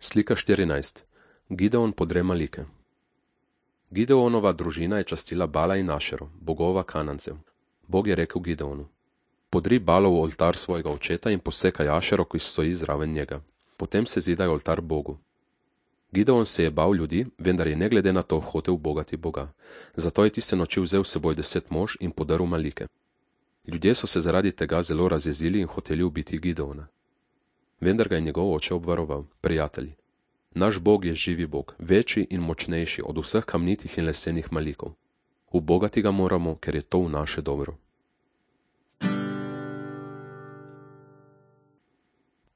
Slika 14. Gideon podre Malike. Gideonova družina je častila Bala in Ašero, bogova Kanancev. Bog je rekel Gideonu: podri Balov oltar svojega očeta in posekaj Ašero, ki stoji zraven njega. Potem se zidaj oltar Bogu. Gideon se je bal ljudi, vendar je ne glede na to hotel ubogati Boga. Zato je tiste noči vzel s seboj 10 mož in podrl Malike. Ljudje so se zaradi tega zelo razjezili in hoteli ubiti Gideona. Vendar ga je njegov oče obvaroval: prijatelji, naš Bog je živi Bog, večji in močnejši od vseh kamnitih in lesenih Malikov. Ubogati ga moramo, ker je to v naše dobro.